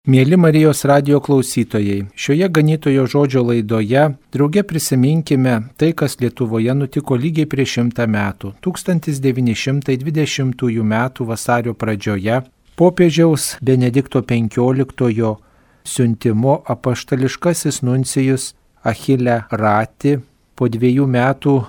Mieli Marijos radijo klausytojai, šioje ganytojo žodžio laidoje drauge prisiminkime tai, kas Lietuvoje nutiko lygiai prieš 100 metų. 1920 m. vasario pradžioje popiežiaus Benedikto XV siuntimo apaštališkasis nuncijus Achille Ratti po 2 metų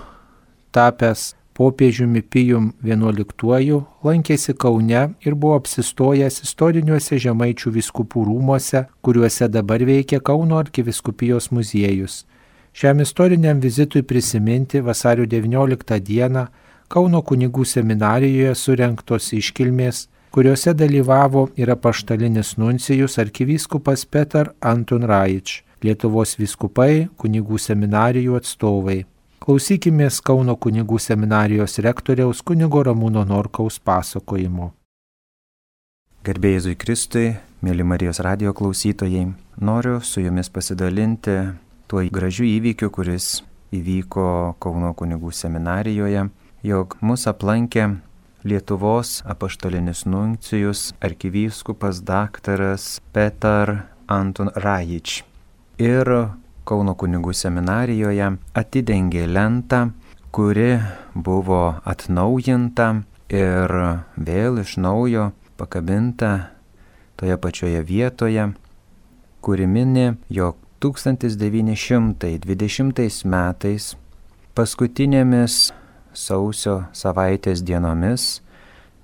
tapęs popiežiumi Pijum XI lankėsi Kaune ir buvo apsistojęs istoriniuose Žemaičių vyskupų rūmuose, kuriuose dabar veikia Kauno arkivyskupijos muziejus. Šiam istoriniam vizitui prisiminti vasario 19 dieną Kauno kunigų seminarijoje surengtos iškilmės, kuriuose dalyvavo ir apaštalinis nuncijus arkivyskupas Petar Antun Raič, Lietuvos vyskupai, kunigų seminarijų atstovai. Klausykimės Kauno kunigų seminarijos rektoriaus kunigo Ramūno Norkaus pasakojimo. Garbė Jėzui Kristui, mėly Marijos radijo klausytojai, noriu su jumis pasidalinti tuo gražiu įvykiu, kuris įvyko Kauno kunigų seminarijoje, jog mus aplankė Lietuvos apaštalinis nuncijus arkivyskupas daktaras Petar Antun Raič. Ir Kauno kunigų seminarijoje atidengė lentą, kuri buvo atnaujinta ir vėl iš naujo pakabinta toje pačioje vietoje, kuri mini, jog 1920 metais paskutinėmis sausio savaitės dienomis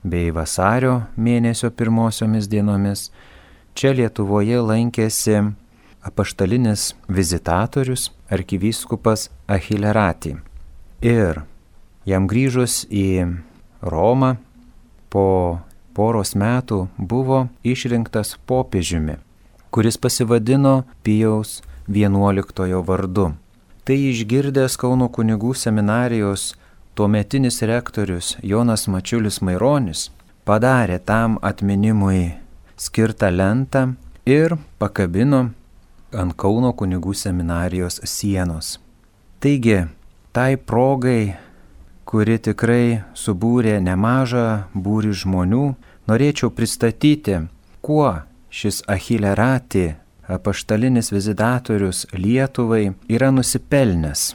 bei vasario mėnesio pirmosiomis dienomis čia Lietuvoje lankėsi apaštalinis vizitatorius arkivyskupas Achille Ratti. Ir jam grįžus į Romą po poros metų buvo išrinktas popiežiumi, kuris pasivadino Pijaus XI vardu. Tai išgirdęs Kauno kunigų seminarijos tuometinis rektorius Jonas Mačiulis Maironis padarė tam atminimui skirtą lentą ir pakabino ant Kauno kunigų seminarijos sienos. Taigi, tai progai, kuri tikrai subūrė nemažą būrį žmonių, norėčiau pristatyti, kuo šis Achille Ratti, apaštalinis vizitatorius Lietuvai, yra nusipelnęs,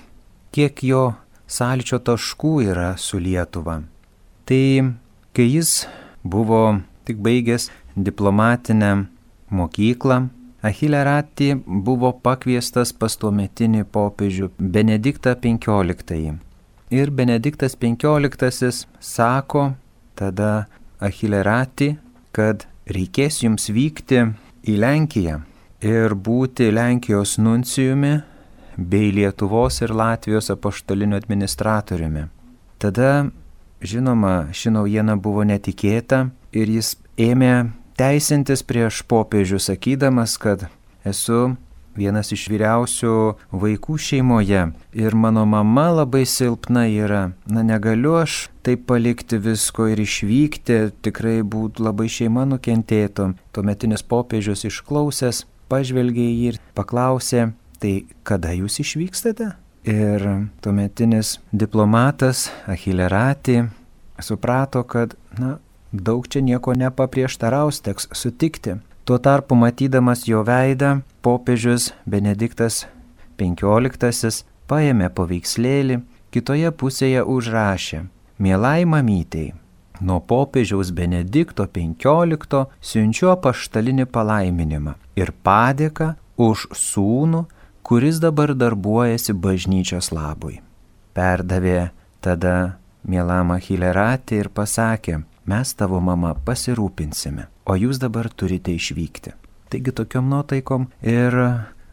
kiek jo sąlyčio taškų yra su Lietuva. Tai, kai jis buvo tik baigęs diplomatinę mokyklą, Achille Ratti buvo pakviestas pas tuometinį popiežių Benediktą XV. Ir Benediktas XV sako tada Achille Ratti, kad reikės jums vykti į Lenkiją ir būti Lenkijos nuncijumi bei Lietuvos ir Latvijos apaštaliniu administratoriumi. Tada, žinoma, ši naujiena buvo netikėta ir jis ėmė teisintis prieš popiežių, sakydamas, kad esu vienas iš vyriausių vaikų šeimoje ir mano mama labai silpna yra. Negaliu aš taip palikti visko ir išvykti, tikrai būtų labai šeima nukentėtų. Tuometinis popiežius išklausęs, pažvelgė į jį ir paklausė, tai kada jūs išvykstate? Ir tuometinis diplomatas Achille Ratti suprato, kad, daug čia nieko nepaprieštaraus, teks sutikti. Tuo tarpu, matydamas jo veidą, popiežius Benediktas XV paėmė paveikslėlį, kitoje pusėje užrašė: Mielai mamytei, nuo popiežiaus Benedikto XV siunčiu apaštalinį palaiminimą ir padėką už sūnų, kuris dabar darbuojasi bažnyčios labui. Perdavė tada mielam Achille Ratti ir pasakė: mes tavo mama pasirūpinsime, o jūs dabar turite išvykti. Taigi tokiom nuotaikom ir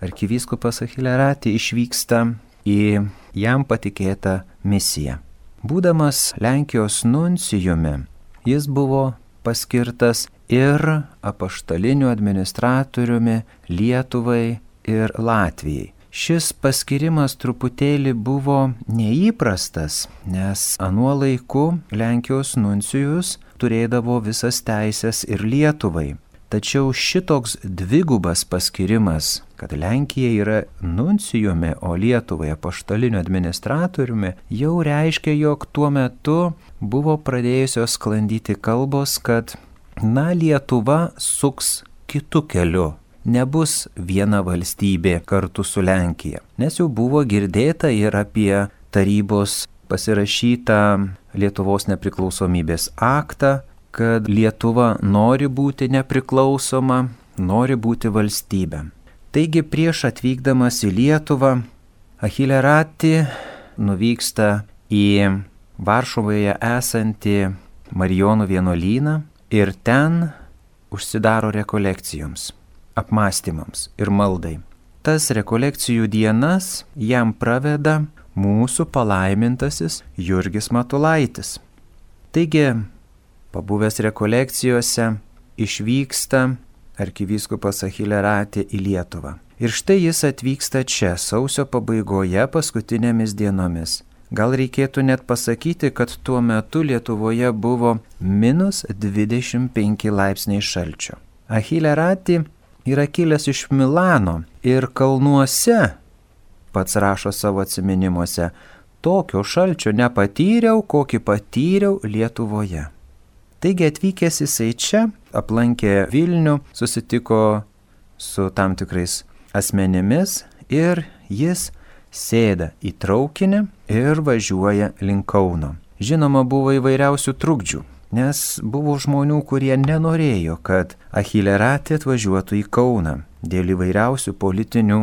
arkivyskupas Achille Ratti išvyksta į jam patikėtą misiją. Būdamas Lenkijos nuncijumi, jis buvo paskirtas ir apaštaliniu administratoriumi Lietuvai ir Latvijai. Šis paskirimas truputėlį buvo neįprastas, nes anuo laiku Lenkijos nuncijus turėdavo visas teisės ir Lietuvai. Tačiau šitoks dvigubas paskirimas, kad Lenkija yra nuncijumi, o Lietuvai apaštaliniu administratoriumi, jau reiškia, jog tuo metu buvo pradėjusios sklandyti kalbos, kad Lietuva suks kitu keliu. Nebus viena valstybė kartu su Lenkija. Nes jau buvo girdėta ir apie tarybos pasirašytą Lietuvos nepriklausomybės aktą, kad Lietuva nori būti nepriklausoma, nori būti valstybė. Taigi prieš atvykdamas į Lietuvą, Achille Ratti nuvyksta į Varšuvoje esantį Marijonų vienuolyną ir ten užsidaro rekolekcijoms, apmąstymams ir maldai. Tas rekolekcijų dienas jam praveda mūsų palaimintasis Jurgis Matulaitis. Taigi, pabuvęs rekolekcijose, išvyksta arkivyskupas Achille Ratti į Lietuvą. Ir štai jis atvyksta čia sausio pabaigoje paskutinėmis dienomis. Gal reikėtų net pasakyti, kad tuo metu Lietuvoje buvo -25 laipsniai šalčio. Achille Ratti yra kilęs iš Milano ir kalnuose, pats rašo savo atsiminimuose, tokio šalčio nepatyriau, kokį patyriau Lietuvoje. Taigi atvykęs jisai čia, aplankė Vilnių, susitiko su tam tikrais asmenimis ir jis sėda į traukinį ir važiuoja link Kauno. Žinoma, buvo įvairiausių trukdžių, nes buvo žmonių, kurie nenorėjo, kad Achille Ratti atvažiuotų į Kauną dėl įvairiausių politinių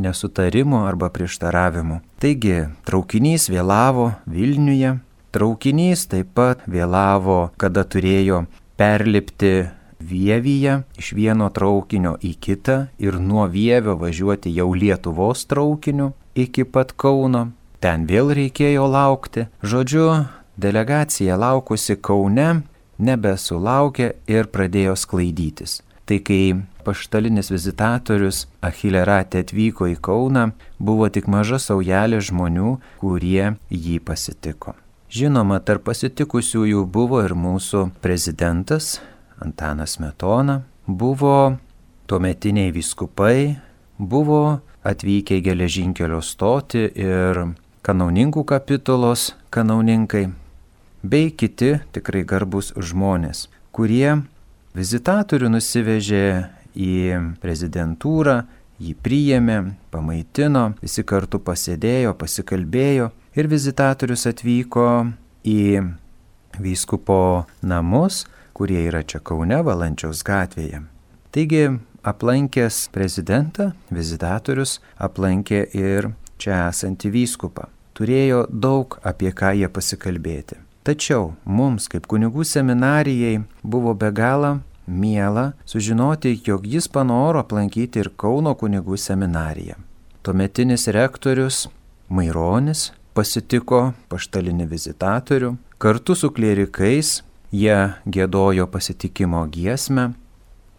nesutarimų arba prieštaravimų. Taigi, traukinys vėlavo Vilniuje, traukinys taip pat vėlavo, kada turėjo perlipti Vievyje iš vieno traukinio į kitą ir nuo Vievio važiuoti jau Lietuvos traukiniu iki pat Kauno. Ten vėl reikėjo laukti. Žodžiu, delegacija laukusi Kaune nebesulaukė ir pradėjo sklaidytis. Tai kai paštalinis vizitatorius Achille Ratti atvyko į Kauną, buvo tik maža saujelė žmonių, kurie jį pasitiko. Žinoma, tarp pasitikusiųjų buvo ir mūsų prezidentas Antanas Smetona, buvo tuometiniai vyskupai, buvo atvykę į geležinkelio stotį ir kanauninkų kapitulos kanauninkai, bei kiti tikrai garbus žmonės, kurie vizitatorių nusivežė į prezidentūrą, jį priėmė, pamaitino, visi kartu pasėdėjo, pasikalbėjo ir vizitatorius atvyko į vyskupo namus, kurie yra čia Kaune, Valančiaus gatvėje. Taigi, aplankęs prezidentą, vizitatorius aplankė ir čia esantį vyskupą. Turėjo daug apie ką jie pasikalbėti. Tačiau mums, kaip kunigų seminarijai, buvo be galo miela sužinoti, jog jis panoro aplankyti ir Kauno kunigų seminariją. Tuometinis rektorius Maironis pasitiko paštalinį vizitatorių. Kartu su klierikais jie giedojo pasitikimo giesmę,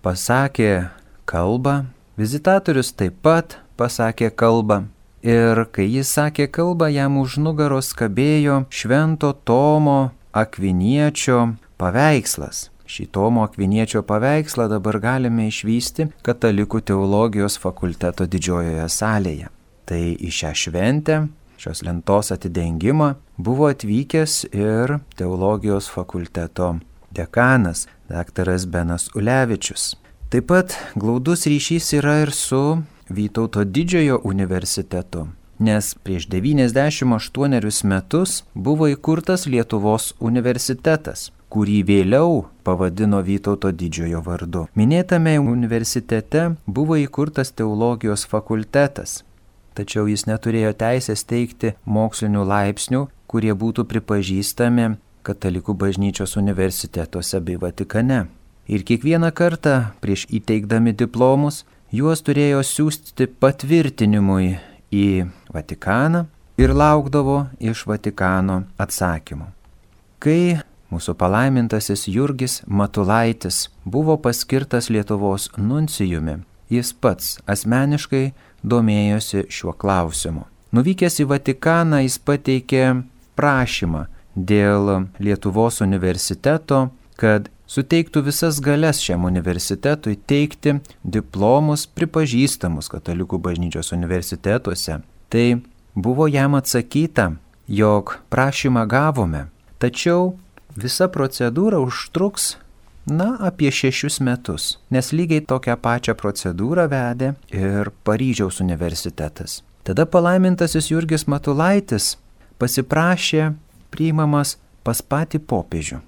pasakė kalbą, vizitatorius taip pat pasakė kalbą. Ir kai jis sakė kalbą, jam už nugaros kabėjo Švento Tomo Akviniečio paveikslas. Šį Tomo Akviniečio paveikslą dabar galime išvysti Katalikų teologijos fakulteto didžiojoje salėje. Tai į šią šventę, šios lentos atidengimą, buvo atvykęs ir teologijos fakulteto dekanas, daktaras Benas Ulevičius. Taip pat glaudus ryšys yra ir su Vytauto didžiojo universitetu, nes prieš 98 metus buvo įkurtas Lietuvos universitetas, kurį vėliau pavadino Vytauto didžiojo vardu. Minėtame universitete buvo įkurtas teologijos fakultetas, tačiau jis neturėjo teisės teikti mokslinių laipsnių, kurie būtų pripažįstami Katalikų bažnyčios universitetuose bei Vatikane. Ir kiekvieną kartą prieš įteikdami diplomus, juos turėjo siųsti patvirtinimui į Vatikaną ir laukdavo iš Vatikano atsakymų. Kai mūsų palaimintasis Jurgis Matulaitis buvo paskirtas Lietuvos nuncijumi, jis pats asmeniškai domėjosi šiuo klausimu. Nuvykęs į Vatikaną, jis pateikė prašymą dėl Lietuvos universiteto, kad suteiktų visas galias šiam universitetui teikti diplomus pripažįstamus Katalikų bažnyčios universitetuose. Tai buvo jam atsakyta, jog prašymą gavome, tačiau visa procedūra užtruks apie 6 metus, nes lygiai tokią pačią procedūrą vedė ir Paryžiaus universitetas. Tada palaimintasis Jurgis Matulaitis pasiprašė priimamas pas patį popiežių,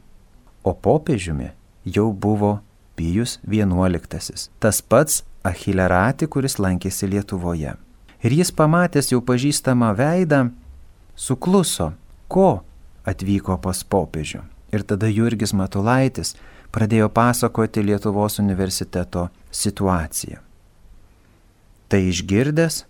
o popiežiumi jau buvo Pijus XI, tas pats Achille Ratti, kuris lankėsi Lietuvoje. Ir jis pamatęs jau pažįstamą veidą, sukluso, ko atvyko pas popiežių. Ir tada Jurgis Matulaitis pradėjo pasakoti Lietuvos universiteto situaciją. Tai išgirdęs,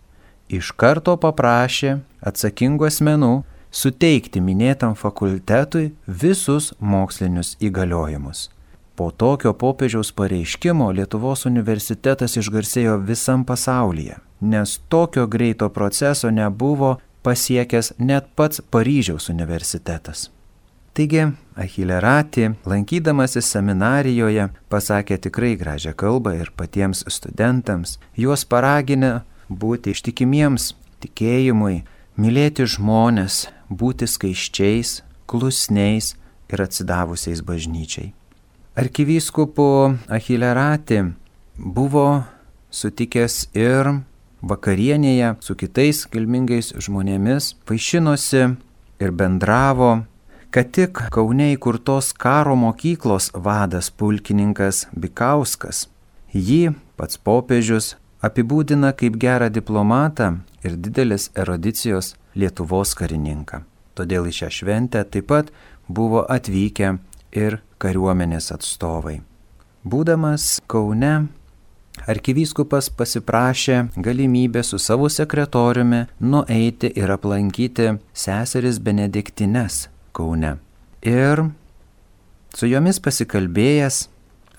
iš karto paprašė atsakingų asmenų suteikti minėtam fakultetui visus mokslinius įgaliojimus. Po tokio popiežiaus pareiškimo Lietuvos universitetas išgarsėjo visam pasaulyje, nes tokio greito proceso nebuvo pasiekęs net pats Paryžiaus universitetas. Taigi, Achille Ratti, lankydamasis seminarijoje, pasakė tikrai gražią kalbą ir patiems studentams, juos paraginę būti ištikimiems tikėjimui, mylėti žmones, būti skaisčiais, klusniais ir atsidavusiais bažnyčiai. Arkivyskupu Achille Ratti buvo sutikęs ir vakarienėje su kitais kilmingais žmonėmis, vaišinosi ir bendravo, kad tik Kaune įkurtos karo mokyklos vadas pulkininkas Bikauskas. Jį pats popiežius apibūdina kaip gerą diplomatą ir didelės erudicijos Lietuvos karininką. Todėl į šią šventę taip pat buvo atvykę ir kariuomenės atstovai. Būdamas Kaune, arkivyskupas pasiprašė galimybę su savo sekretoriumi nueiti ir aplankyti seseris Benediktines Kaune. Ir su jomis pasikalbėjęs,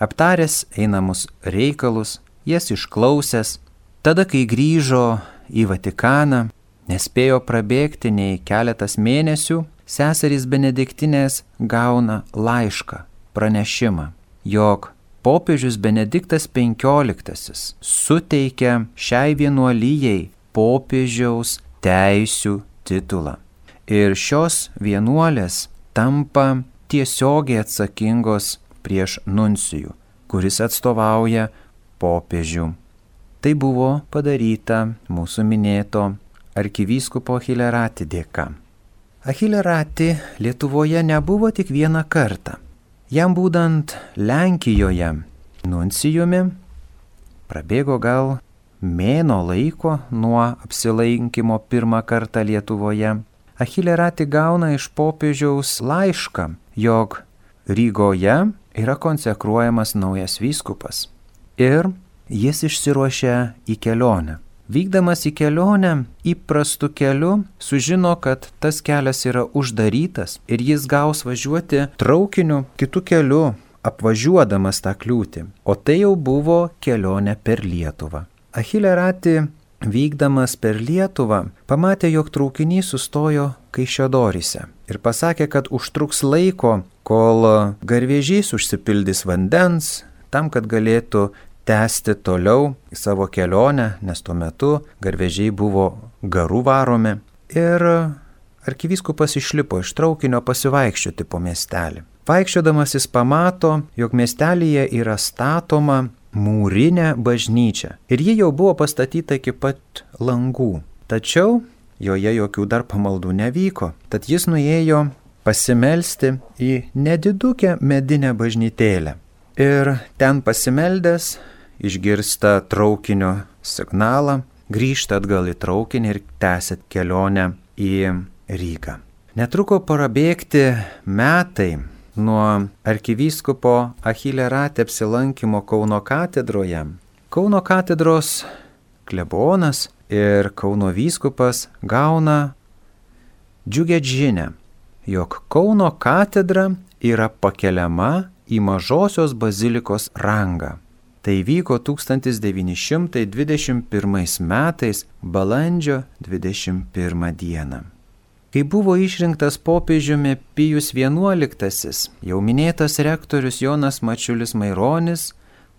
aptaręs einamus reikalus, jas išklausęs, tada, kai grįžo į Vatikaną, nespėjo prabėgti nei keletas mėnesių, seserys Benediktinės gauna laišką, pranešimą, jog popiežius Benediktas XV suteikia šiai vienuolijai popiežiaus teisių titulą. Ir šios vienuolės tampa tiesiogiai atsakingos prieš nuncijų, kuris atstovauja popiežių. Tai buvo padaryta mūsų minėto arkivyskupo Achille Ratti dėka. Achille Ratti Lietuvoje nebuvo tik vieną kartą. Jam būdant Lenkijoje nuncijumi prabėgo gal mėnuo laiko nuo apsilankimo pirmą kartą Lietuvoje. Achille Ratti gauna iš popiežiaus laišką, jog Rygoje yra konsekruojamas naujas vyskupas. Ir jis išsiruošia į kelionę. Vykdamas į kelionę įprastu keliu sužino, kad tas kelias yra uždarytas ir jis gaus važiuoti traukiniu kitu keliu, apvažiuodamas tą kliūtį. O tai jau buvo kelionė per Lietuvą. Achille Ratti, vykdamas per Lietuvą, pamatė, jog traukinys sustojo Kaišiadoryse ir pasakė, kad užtruks laiko, kol garvežys užsipildys vandens, tam, kad galėtų tęsti toliau savo kelionę, nes tuo metu garvežiai buvo garų varomi. Ir arkivyskupas išlipo iš traukinio pasivaikščioti po miestelį. Vaikščiodamas jis pamato, jog miestelyje yra statoma mūrinė bažnyčia. Ir ji jau buvo pastatyta iki pat langų. Tačiau joje jokių dar pamaldų nevyko. Tad jis nuėjo pasimelsti į nedidukę medinę bažnytėlę. Ir ten pasimeldęs išgirsta traukinio signalą, grįžta atgal į traukinį ir tęsia kelionę į Rygą. Netruko prabėgti metai nuo arkivyskupo Achille Ratti apsilankimo Kauno katedroje. Kauno katedros klebonas ir Kauno vyskupas gauna džiugią žinią, jog Kauno katedra yra pakeliama į Mažosios bazilikos rangą. Tai vyko 1921 metais balandžio 21 dieną. Kai buvo išrinktas popiežiumi Pijus XI, jau minėtas rektorius Jonas Mačiulis Maironis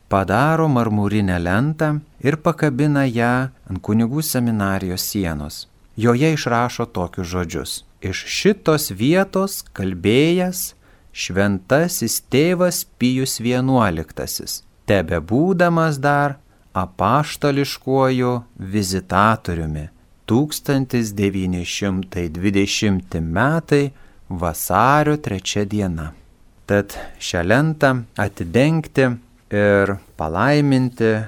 padaro marmurinę lentą ir pakabina ją ant kunigų seminarijos sienos. Joje išrašo tokius žodžius: iš šitos vietos kalbėjęs šventasis tėvas Pijus XI, tebebūdamas dar apaštališkuoju vizitatoriumi 1920 metai vasario 3 diena. Tad šią lentą atidengti ir palaiminti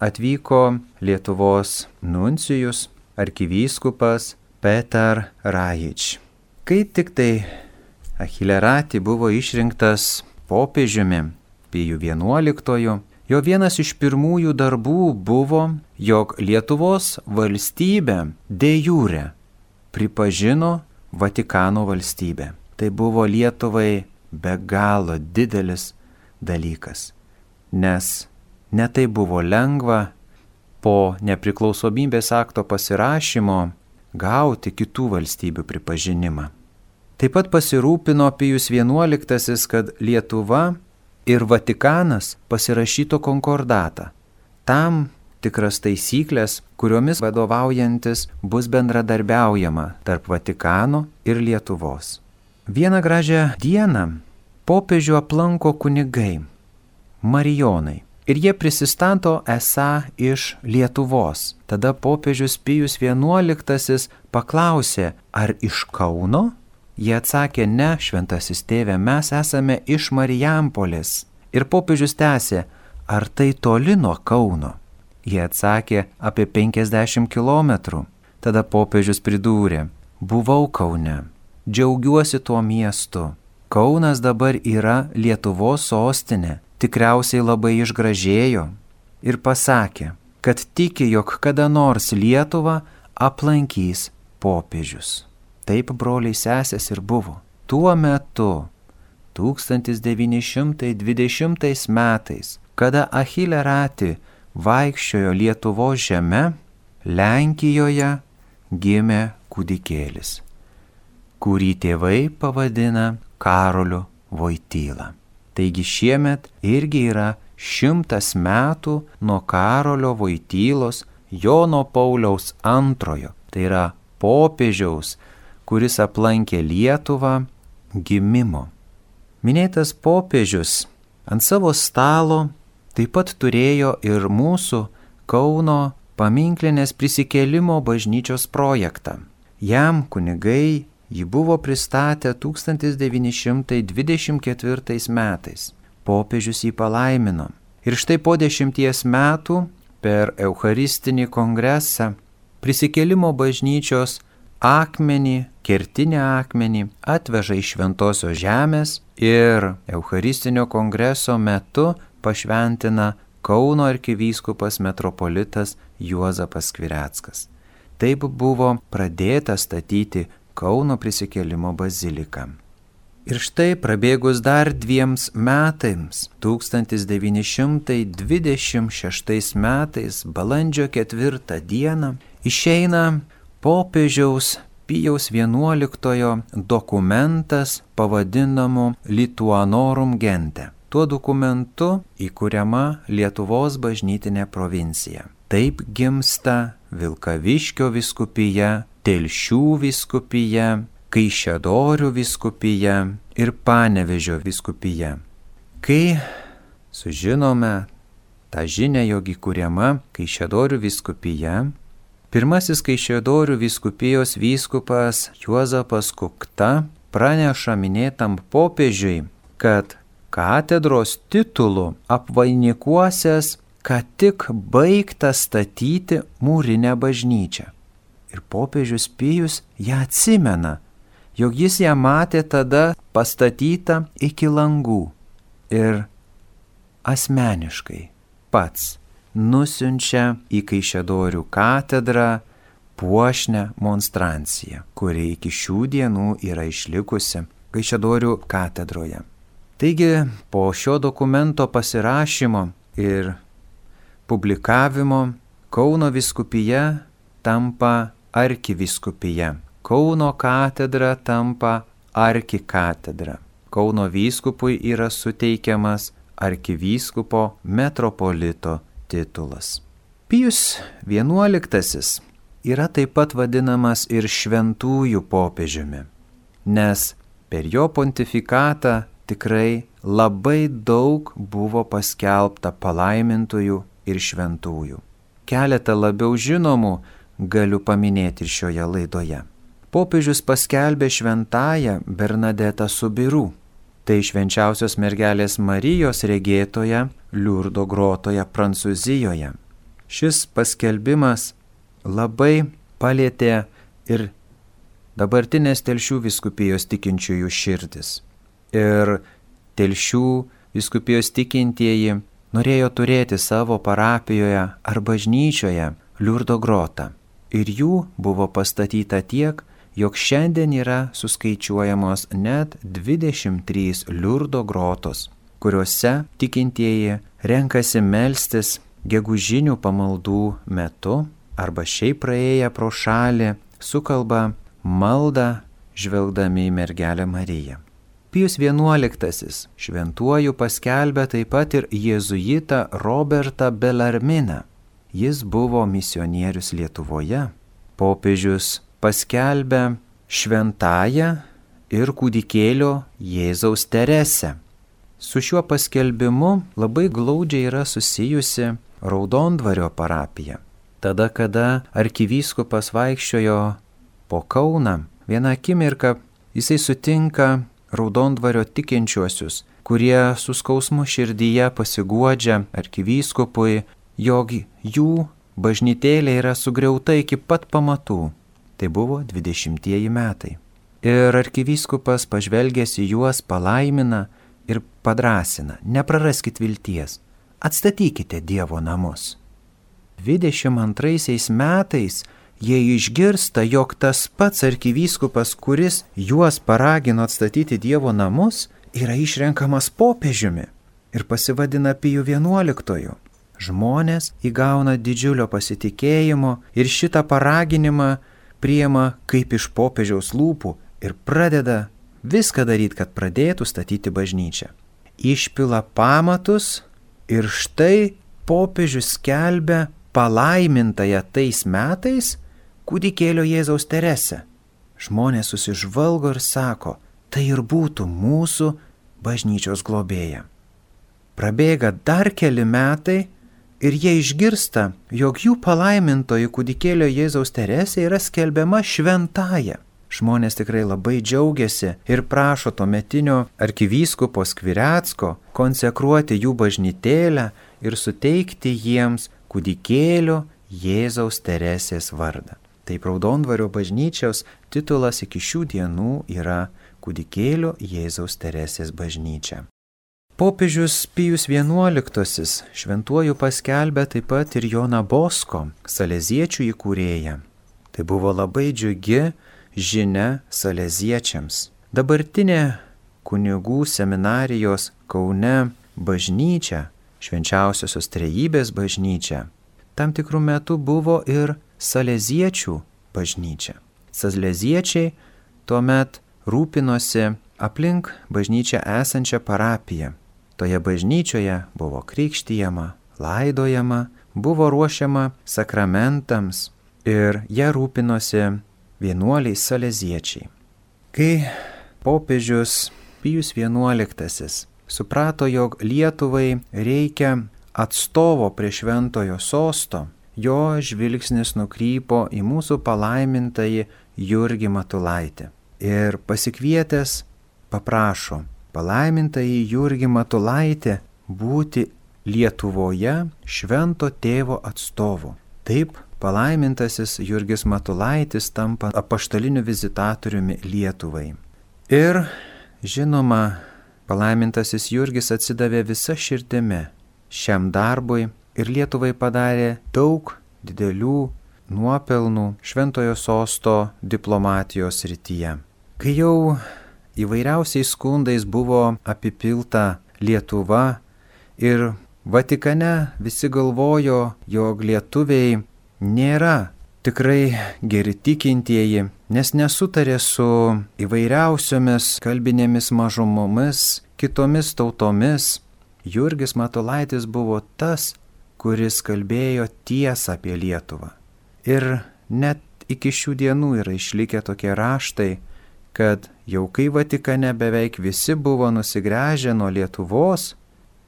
atvyko Lietuvos nuncijus arkivyskupas Petar Rajič. Kai tik tai Achille Ratti buvo išrinktas popiežiumi Pijų XI, jo vienas iš pirmųjų darbų buvo, jog Lietuvos valstybė de jure pripažino Vatikano valstybę. Tai buvo Lietuvai be galo didelis dalykas, nes netai buvo lengva po nepriklausomybės akto pasirašymo gauti kitų valstybių pripažinimą. Taip pat pasirūpino Pijus XI, kad Lietuva ir Vatikanas pasirašytų konkordatą. Tam tikras taisyklės, kuriomis vadovaujantis bus bendradarbiaujama tarp Vatikano ir Lietuvos. Vieną gražią dieną popiežių aplanko kunigai, marijonai, ir jie prisistato esą iš Lietuvos. Tada popiežius Pijus XI paklausė, ar iš Kauno? Jie atsakė, ne, šventasis tėve, mes esame iš Marijampolės. Ir popiežius tęsė, ar tai toli nuo Kauno? Jie atsakė, apie 50 kilometrų. Tada popiežius pridūrė, buvau Kaune, džiaugiuosi tuo miestu. Kaunas dabar yra Lietuvos sostinė, tikriausiai labai išgražėjo. Ir pasakė, kad tiki, jog kada nors Lietuvą aplankys popiežius. Taip, broliai sesės, ir buvo. Tuo metu, 1920 metais, kada Achille Ratti vaikščiojo Lietuvos žeme, Lenkijoje gimė kūdikėlis, kurį tėvai pavadina Karoliu Voityla. Taigi šiemet irgi yra 100 metų nuo Karolio Voitylos Jono Pauliaus II, tai yra popiežiaus, kuris aplankė Lietuvą, gimimo. Minėtas popiežius ant savo stalo taip pat turėjo ir mūsų Kauno paminklinės prisikėlimo bažnyčios projektą. Jam kunigai jį buvo pristatę 1924 metais. Popiežius jį palaimino. Ir štai po 10 metų per Eucharistinį kongresą prisikėlimo bažnyčios akmenį, kertinį akmenį atveža iš Šventosios žemės ir Eucharistinio kongreso metu pašventina Kauno arkivyskupas metropolitas Juozapas Skvireckas. Taip buvo pradėta statyti Kauno prisikėlimo baziliką. Ir štai prabėgus dar 2 metams, 1926 metais, balandžio 4 dieną, išeina popiežiaus Pijaus XI dokumentas pavadinamu Lituanorum Gente. Tuo dokumentu įkuriama Lietuvos bažnytinė provincija. Taip gimsta Vilkaviškio vyskupija, Telšių vyskupija, Kaišiadorių vyskupija ir Panevėžio vyskupija. Kai sužinome tą žinią, jog įkuriama Kaišiadorių vyskupija, pirmasis Kaišiadorių vyskupijos vyskupas Juozapas Kukta praneša minėtam popiežiui, kad katedros titulu apvainikuosias, kad tik baigta statyti mūrinę bažnyčią. Ir popiežius Pijus ją atsimena, jog jis ją matė tada pastatytą iki langų ir asmeniškai pats nusiunčia į Kaišiadorių katedrą puošnią monstranciją, kuri iki šių dienų yra išlikusi Kaišiadorių katedroje. Taigi, po šio dokumento pasirašymo ir publikavimo Kauno vyskupija tampa arkivyskupija. Kauno katedra tampa arkikatedra. Kauno vyskupui yra suteikiamas arkivyskupo metropolito titulas. Pijus XI yra taip pat vadinamas ir šventųjų popiežiumi, nes per jo pontifikatą tikrai labai daug buvo paskelbta palaimintųjų ir šventųjų. Keletą labiau žinomų galiu paminėti ir šioje laidoje. Popiežius paskelbė šventąją Bernadetą Soubirous. Tai švenčiausios mergelės Marijos regėtoja Liurdo grotoje Prancūzijoje. Šis paskelbimas labai palietė ir dabartinės Telšių vyskupijos tikinčiųjų širdis. Ir Telšių vyskupijos tikintieji norėjo turėti savo parapijoje ar bažnyčioje Liurdo grotą. Ir jų buvo pastatyta tiek, jog šiandien yra suskaičiuojamos net 23 Liurdo grotos, kuriuose tikintieji renkasi melstis gegužinių pamaldų metu arba šiaip praėję pro šalį sukalba maldą žvelgdami į mergelę Mariją. Pijus XI šventuoju paskelbė taip pat ir jėzuitą Robertą Bellarminą. Jis buvo misionierius Lietuvoje. Popiežius paskelbė šventąją ir kūdikėlio Jėzaus Teresę. Su šiuo paskelbimu labai glaudžiai yra susijusi Raudondvario parapija. Tada, kada arkivyskupas vaikščiojo po Kauną, vieną akimirką jisai sutinka Raudondvario tikinčiuosius, kurie su skausmu širdyje pasiguodžia arkivyskupui, jog jų bažnytėlė yra sugriauta iki pat pamatų. Tai buvo 20-ieji metai. Ir arkivyskupas pažvelgęs į juos palaimina ir padrasina: nepraraskit vilties, atstatykite Dievo namus. 22 metais jie išgirsta, jog tas pats arkivyskupas, kuris juos paragino atstatyti Dievo namus, yra išrenkamas popiežiumi ir pasivadina Piju XI. Žmonės įgauna didžiulio pasitikėjimo ir šitą paraginimą priima kaip iš popiežiaus lūpų ir pradeda viską daryti, kad pradėtų statyti bažnyčią. Išpila pamatus ir štai popiežius skelbia palaimintąją tais metais kūdikėlio Jėzaus Teresę. Žmonės susižvalgo ir sako: tai ir būtų mūsų bažnyčios globėja. Prabėga dar keli metai ir jie išgirsta, jog jų palaimintoji kūdikėlio Jėzaus Teresė yra skelbiama šventąja. Žmonės tikrai labai džiaugiasi ir prašo tuometinio arkivyskupo Skvirecko konsekruoti jų bažnytėlę ir suteikti jiems kūdikėlio Jėzaus Teresės vardą. Taip Raudondvario bažnyčios titulas iki šių dienų yra kūdikėlio Jėzaus Teresės bažnyčia. Popiežius Pijus XI šventuoju paskelbė taip pat ir Joną Bosko, saleziečių įkūrėją. Tai buvo labai džiugi žinia saleziečiams. Dabartinė kunigų seminarijos Kaune bažnyčia, švenčiausiosios trejybės bažnyčia, tam tikrų metų buvo ir saleziečių bažnyčia. Saleziečiai tuomet rūpinosi aplink bažnyčią esančią parapiją. Toje bažnyčioje buvo krikštijama, laidojama, buvo ruošiama sakramentams ir jie rūpinosi vienuoliai saleziečiai. Kai popiežius Pijus XI suprato, jog Lietuvai reikia atstovo prie šventojo sosto, jo žvilgsnis nukrypo į mūsų palaimintąjį Jurgį Matulaitį ir pasikvietęs paprašo palaimintąjį Jurgį Matulaitį būti Lietuvoje švento tėvo atstovu. Taip palaimintasis Jurgis Matulaitis tampa apaštaliniu vizitatoriumi Lietuvai. Ir, žinoma, palaimintasis Jurgis atsidavė visa širdimi šiam darbui ir Lietuvai padarė daug didelių nuopelnų šventojo sosto diplomatijos srityje. Kai jau įvairiausiais skundais buvo apipilta Lietuva ir Vatikane visi galvojo, jog lietuviai nėra tikrai geri tikintieji, nes nesutarė su įvairiausiomis kalbinėmis mažumomis, kitomis tautomis. Jurgis Matulaitis buvo tas, kuris kalbėjo tiesą apie Lietuvą. Ir net iki šių dienų yra išlikę tokie raštai, kad jau kai Vatikane beveik visi buvo nusigręžę nuo Lietuvos,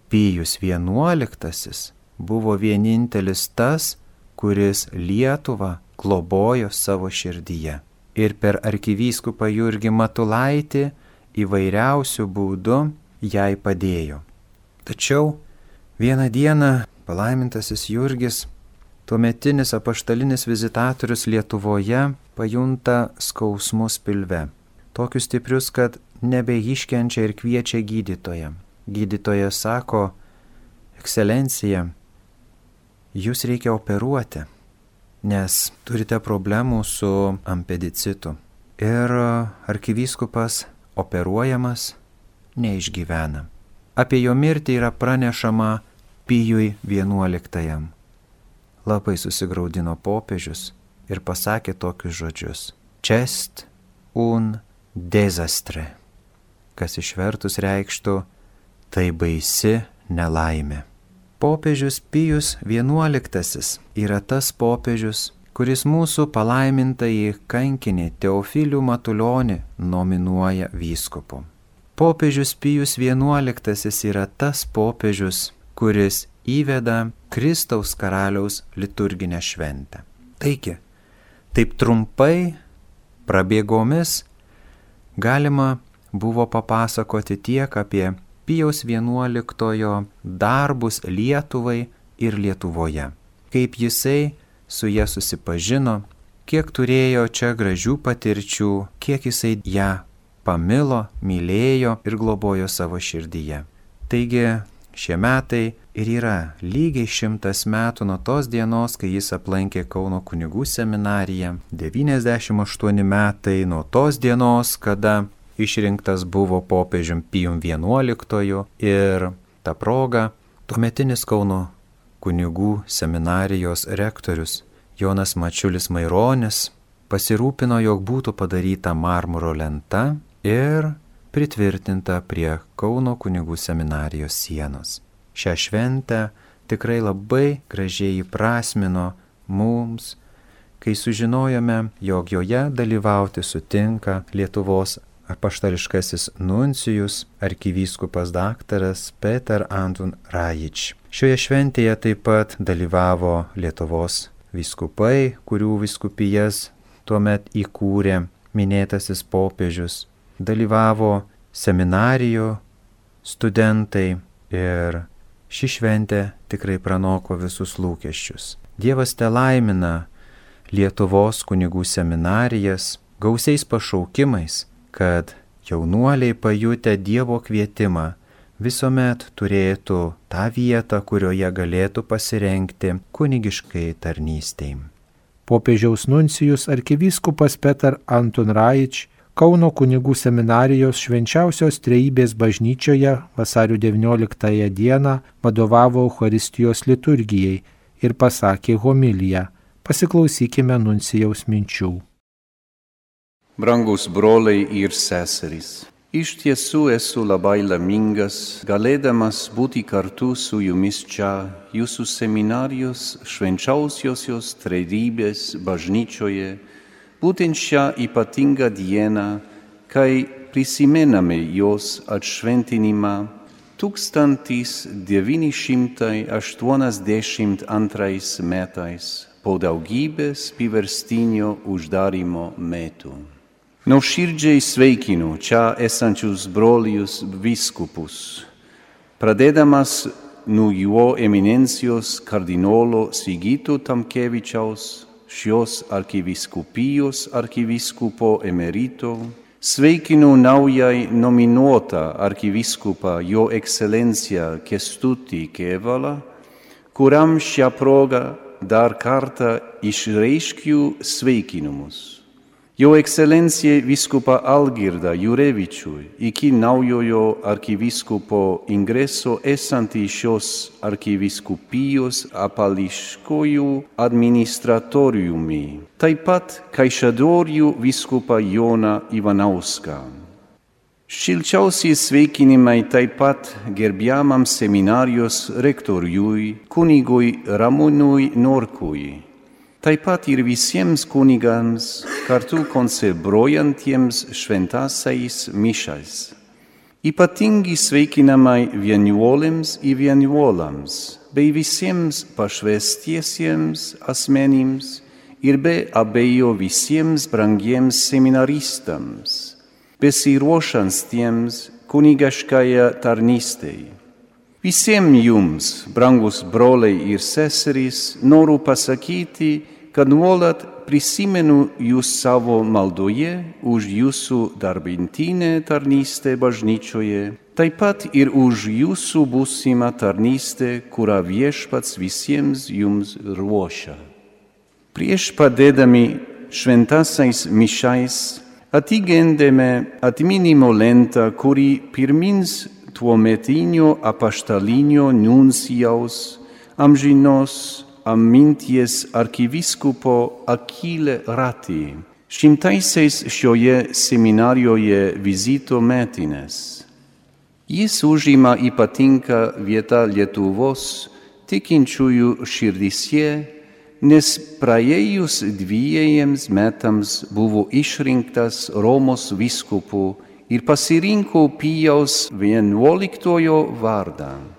Pijus XI buvo vienintelis tas, kuris Lietuvą globojo savo širdyje. Ir per arkivyskupą Jurgį Matulaitį įvairiausių būdų jai padėjo. Tačiau vieną dieną palaimintasis Jurgis, tuometinis apaštalinis vizitatorius Lietuvoje, pajunta skausmus pilve. Tokius stiprius, kad nebeiškenčia ir kviečia gydytoją. Gydytojas sako: Ekscelencija, jūs reikia operuoti, nes turite problemų su apendicitu. Ir arkivyskupas operuojamas neišgyvena. Apie jo mirtį yra pranešama Pijui XI. Labai susigraudino popiežius ir pasakė tokius žodžius: Cest un desastre, kas išvertus reikštų: tai baisi nelaimė. Popiežius Pijus XI yra tas popiežius, kuris mūsų palaimintąjį kankinį Teofilių Matulionį nominuoja vyskupu. Popiežius Pijus XI yra tas popiežius, kuris įveda Kristaus karaliaus liturginę šventę. Taigi, taip trumpai, prabėgomis, galima buvo papasakoti tiek apie Pijaus XI darbus Lietuvai ir Lietuvoje, kaip jisai su ja susipažino, kiek turėjo čia gražių patirčių, kiek jisai ją pamilo, mylėjo ir globojo savo širdyje. Taigi šie metai ir yra lygiai 100 metų nuo tos dienos, kai jis aplankė Kauno kunigų seminariją, 98 metai nuo tos dienos, kada išrinktas buvo popiežium Pijum XI, ir ta proga tuometinis Kauno kunigų seminarijos rektorius Jonas Mačiulis Maironis pasirūpino, jog būtų padaryta marmuro lenta ir pritvirtinta prie Kauno kunigų seminarijos sienos. Šią šventę tikrai labai gražiai įprasmino mums, kai sužinojome, jog joje dalyvauti sutinka Lietuvos apaštališkasis nuncijus arkivyskupas daktaras Peter Antun Rajič. Šioje šventėje taip pat dalyvavo Lietuvos vyskupai, kurių vyskupijas tuomet įkūrė minėtasis popiežius. Dalyvavo seminarijų studentai ir ši šventė tikrai pranoko visus lūkesčius. Dievas telaimina Lietuvos kunigų seminarijas gausiais pašaukimais, kad jaunuoliai pajutę Dievo kvietimą visuomet turėtų tą vietą, kurioje galėtų pasirengti kunigiškai tarnystei. Popiežiaus nuncijus arkivyskupas Peter Antun Rajič Kauno kunigų seminarijos Švenčiausios Trejybės bažnyčioje vasario 19 dieną vadovavo Eucharistijos liturgijai ir pasakė homiliją. Pasiklausykime nuncijaus minčių. Brangus broliai ir seserys, iš tiesų esu labai laimingas, galėdamas būti kartu su jumis čia, jūsų seminarijos Švenčiausiosios Trejybės bažnyčioje, būtent šią ypatingą dieną, kai prisimename jos atšventinimą 1982 metais po daugybės priverstinio uždarymo metų. Nuoširdžiai sveikinu čia esančius brolius vyskupus, pradėdamas nuo jo eminencijos kardinolo Sigito Tamkevičiaus, šios arkivyskupijos arkivyskupo emerito, sveikinu naujai nominuotą arkivyskupą jo ekscelenciją Kęstutį Kėvalą, kuriam šią progą dar kartą išreiškiu sveikinimus. Jo ekscelencija vyskupą Algirdą Jurevičių iki naujojo arkivyskupo ingreso esantį šios arkivyskupijos apališkojų administratoriumi, taip pat Kaišiadorių vyskupą Joną Ivanauską. Šilčiausi sveikinimai taip pat gerbiamam seminarijos rektoriui kunigui Ramūnui Norkui, taip pat ir visiems kunigams kartu konsebrojantiems šventąsiais mišais. Ypatingi sveikinamai vienuolėms ir vienuolams, bei visiems pašvęstiesiems asmenims ir be abejo visiems brangiems seminaristams, besiruošiantiems kunigaškąją tarnystei. Visiems jums, brangus broliai ir seserys, noriu pasakyti, kad nuolat prisimenu jūs savo maldoje už jūsų darbintinę tarnystę bažnyčioje, taip pat ir už jūsų būsimą tarnystę, kurią Viešpats visiems jums ruošia. Prieš padėdami šventąsiais mišais atigendėme atminimo lentą, kuri pirmins tuometinio apaštalinio nuncijaus amžinos minties arkivyskupo Achille Ratti, šimtaisiais šioje seminarijoje vizito metinės. Jis užima ypatingą vietą Lietuvos tikinčiųjų širdyse, nes praėjus 2 metams buvo išrinktas Romos vyskupu ir pasirinko Pijaus XI vardą.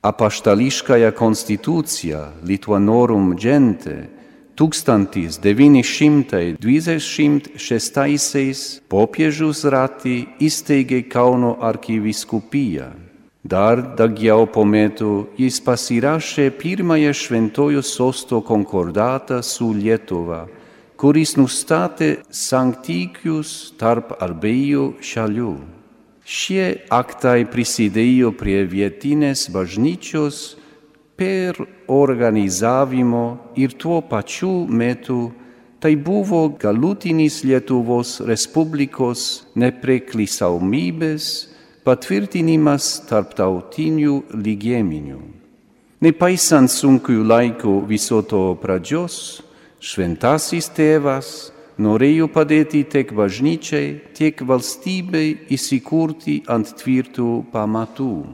Apaštališkąją konstituciją Lituanorum Gente 1926 popiežius Ratti įsteigė Kauno arkivyskupiją. Dar daugiau po metų jis pasirašė pirmąją Šventojo Sosto konkordatą su Lietuva, kuris nustatė santykius tarp abiejų šalių. Šie aktai prisidėjo prie vietinės bažnyčios per organizavimo ir tuo pačiu metu tai buvo galutinis Lietuvos Respublikos nepriklausomybės patvirtinimas tarptautiniu lygmeniu. Nepaisant sunkių laikų viso to pradžios, šventasis tėvas norėjo padėti tiek bažnyčiai, tiek valstybei įsikurti ant tvirtų pamatų.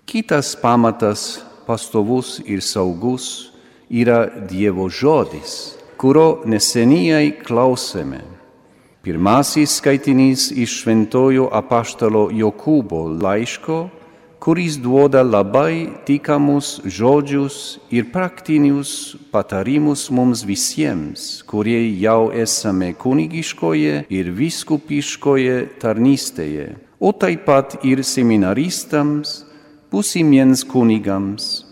Kitas pamatas, pastovus ir saugus, yra Dievo žodis, kurio neseniai klausėme. Pirmasis skaitinys iš šventojo apaštalo Jokūbo laiško, kuris duoda labai tikamus žodžius ir praktinius patarimus mums visiems, kurie jau esame kunigiškoje ir vyskupiškoje tarnystėje, o taip pat ir seminaristams, būsimiems kunigams.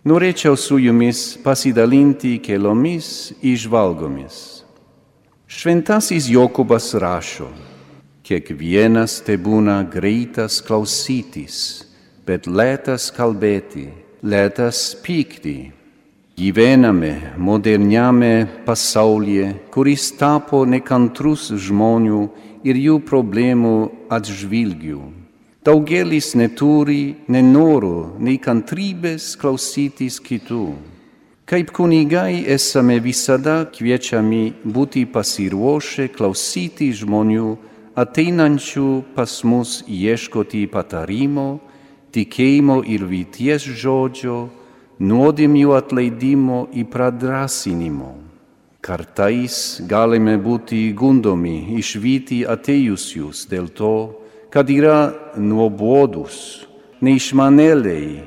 Norėčiau su jumis pasidalinti keliomis įžvalgomis. Šventasis Jokūbas rašo: kiekvienas tebūna greitas klausytis, bet lėtas kalbėti, lėtas pykti. Gyvename moderniame pasaulyje, kuris tapo nekantrus žmonių ir jų problemų atžvilgiu. Daugelis neturi nei noro, nei kantrybės klausytis kitų. Kaip kunigai esame visada kviečiami būti pasiruošę klausyti žmonių ateinančių pas mus ieškoti patarimo, tikėjimo ir vilties žodžio, nuodėmių atleidimo ir pradrasinimo. Kartais galime būti gundomi išvyti atėjusius dėl to, kad yra nuobodus, neišmanėliai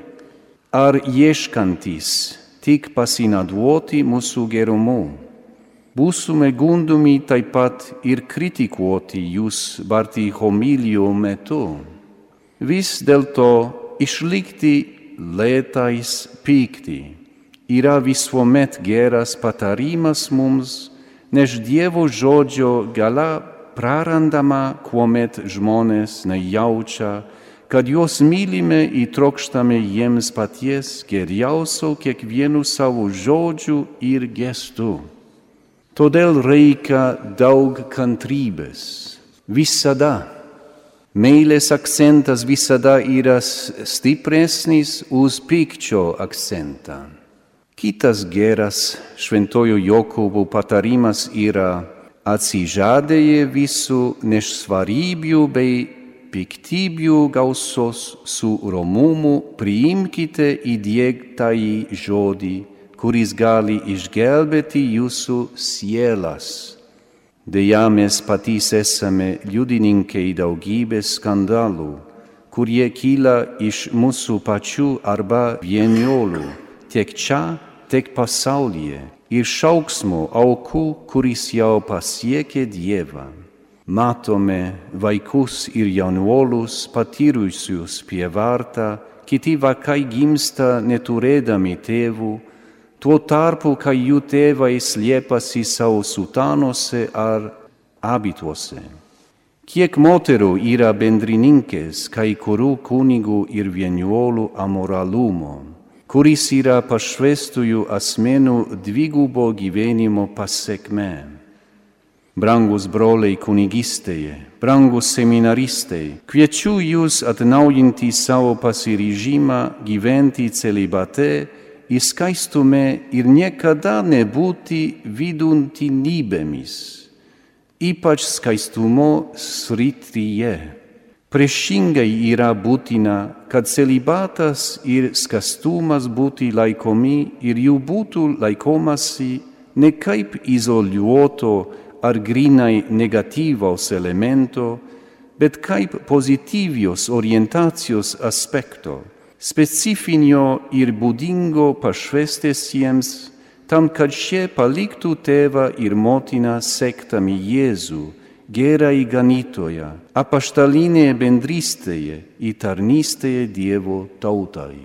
ar ieškantys tik pasinaudoti mūsų gerumu. Būsime gundomi taip pat ir kritikuoti jūs barti homilijų metu. Vis dėlto išlikti lėtais pykti yra visuomet geras patarimas mums, nes Dievo žodžio gala prarandama, kuomet žmonės nejaučia, kad juos mylime ir trokštame jiems paties geriausio kiekvienu savo žodžiu ir gestu. Todėl reikia daug kantrybės. Visada. Meilės akcentas visada yra stipresnis už pykčio akcentą. Kitas geras šventojo Jokūbo patarimas yra: atsižadėję visų nešvarybių bei piktybių gausos su romumu priimkite įdiegtąjį žodį, kuris gali išgelbėti jūsų sielas. Deja, mes patys esame liudininkai daugybės skandalų, kurie kyla iš mūsų pačių arba vieniolų, tiek čia, tiek pasaulyje, ir šauksmo aukų, kuris jau pasiekė Dievą. Matome vaikus ir jaunuolius patyrusius prievartą, kiti vaikai gimsta neturėdami tėvų, tuo tarpu, kai jų tėvai slėpasi savo sutanose ar abituose. Kiek moterų yra bendrininkės kai kurių kunigų ir vienuolių amoralumo, kuris yra pašvestųjų asmenų dvigubo gyvenimo pasekmė. Brangus broliai kunigystėje, brangus seminaristai, kviečiu jūs atnaujinti savo pasiryžimą gyventi celibate, į skaistume ir niekada nebūti viduntinybėmis, ypač skaistumo srityje. Priešingai yra būtina, kad celibatas ir skaistumas būtų laikomi ir jų būtų laikomasi ne kaip izoliuoto ar grinai negatyvaus elemento, bet kaip pozityvios orientacijos aspekto, specifinio ir būdingo pašvestesiems, tam, kad šie paliktų tėvą ir motiną sektami Jėzų, gerąjį ganytoją, apaštalinėje bendrystėje ir tarnystėje Dievo tautai.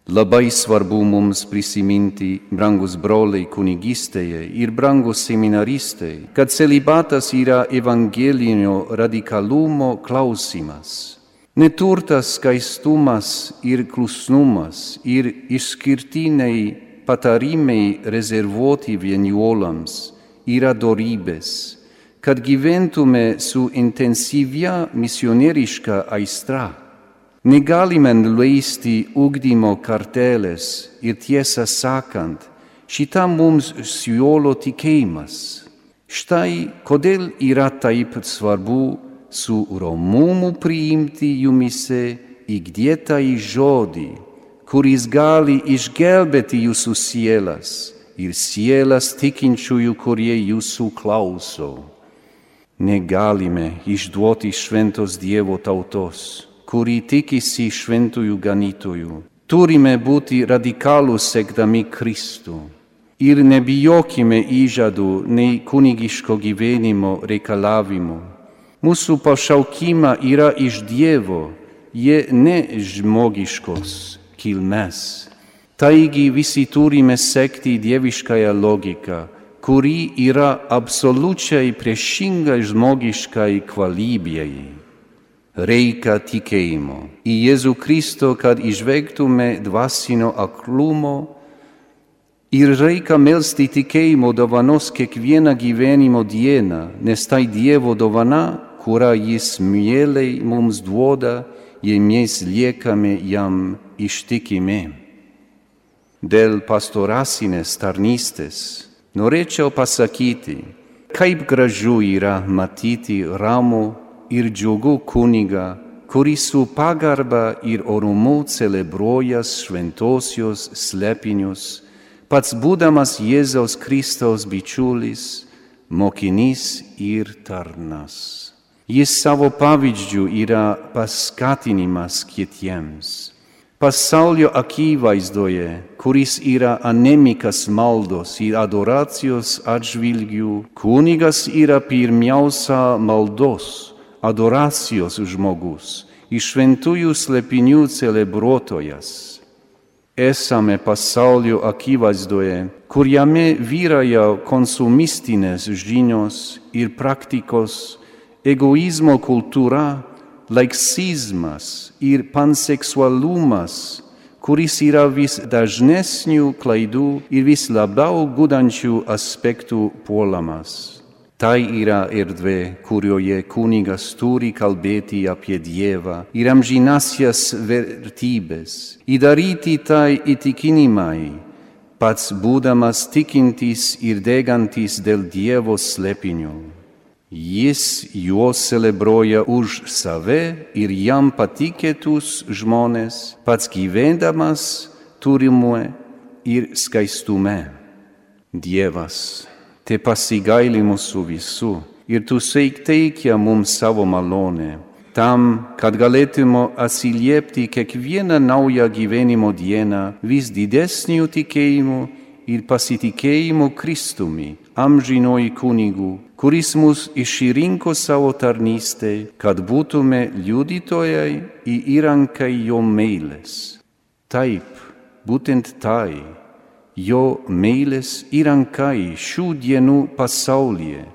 Labai svarbu mums prisiminti, brangus broliai kunigystėje ir brangus seminaristai, kad celibatas yra evangelinio radikalumo klausimas. Neturtas skaistumas ir klusnumas ir išskirtiniai patarimai rezervuoti vienuolams yra dorybės, kad gyventume su intensyvia misionieriška aistra. Negalime leisti ugdymo kartelės ir tiesą sakant, šitą mums siūlo tikėjimas. Štai kodėl yra taip svarbu su romumu priimti jumise įgiedėtąjį žodį, kuris gali išgelbėti jūsų sielas ir sielas tikinčiųjų, kurie jūsų klauso. Negalime išduoti šventos Dievo tautos, kuri tikisi šventųjų ganytojų. Turime būti radikalūs sekdami Kristų ir nebijokime įžadų nei kunigiško gyvenimo reikalavimų. Mūsų pašaukimą yra iš Dievo, jie ne žmogiškos kilmės. Taigi visi turime sekti dieviškąją logiką, kuri yra absoliučiai priešinga žmogiškai kvalybei. Reikia tikėjimo į Jėzų Kristų, kad išvengtume dvasinio aklumo, ir reikia melsti tikėjimo dovanos kiekvieną gyvenimo dieną, nes tai Dievo dovana, kurią Jis mieliai mums duoda, jei mes liekame jam ištikimi. Dėl pastoracinės tarnystės norėčiau pasakyti, kaip gražu yra matyti ramų ir džiugų kunigą, kuris su pagarba ir orumu celebruoja šventosios slėpinius, pats būdamas Jėzaus Kristaus bičiulis, mokinys ir tarnas. Jis savo pavyzdžiu yra paskatinimas kitiems. Pasaulio akivaizdoje, kuris yra anemikas maldos ir adoracijos atžvilgių, kunigas yra pirmiausia maldos, adoracijos žmogus, iš šventųjų slėpinių celebruotojas. Esame pasaulio akivaizdoje, kur jame vyrauja konsumistinės žinios ir praktikos, egoizmo kultūra, laiksizmas ir panseksualumas, kuris yra vis dažnesnių klaidų ir vis labiau gudančių aspektų puolamas. Tai yra erdvė, kurioje kunigas turi kalbėti apie Dievą ir amžinąsias vertybės, įdaryti tai įtikinimai, pats būdamas tikintis ir degantis dėl Dievo slėpinio. Jis juos celebruoja už save ir jam patikėtus žmonės, pats gyvendamas turimue ir skaistume. Dievas, te pasigaili mūsų visų ir tu teikia mums savo malonę, tam, kad galėtume atsiliepti kiekvieną naują gyvenimo dieną vis didesniu tikėjimu ir pasitikėjimu Kristumi, amžinuoju kunigu, kuris mus išrinko savo tarnystei, kad būtume liudytojai ir įrankai jo meilės. Taip, būtent tai, jo meilės įrankai šių dienų pasaulyje,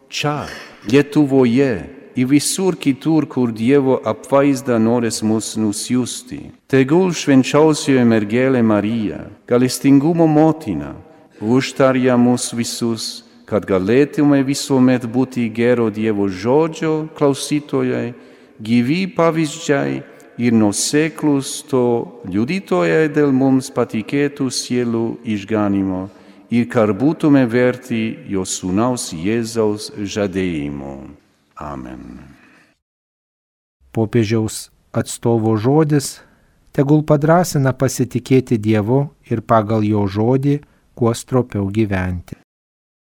čia, Lietuvoje ir visur kitur, kur Dievo apvaizda norės mus nusiųsti. Tegul švenčiausioji mergelė Marija, gailestingumo motina, užtarja mus visus, kad galėtume visuomet būti gero Dievo žodžio klausytojai, gyvi pavyzdžiai ir nuoseklūs to liudytojai dėl mums patikėtų sielų išganimo ir kad būtume verti jo sūnaus Jėzaus žadėjimo. Amen. Popiežiaus atstovo žodis tegul padrąsina pasitikėti Dievu ir pagal jo žodį kuo stropiau gyventi.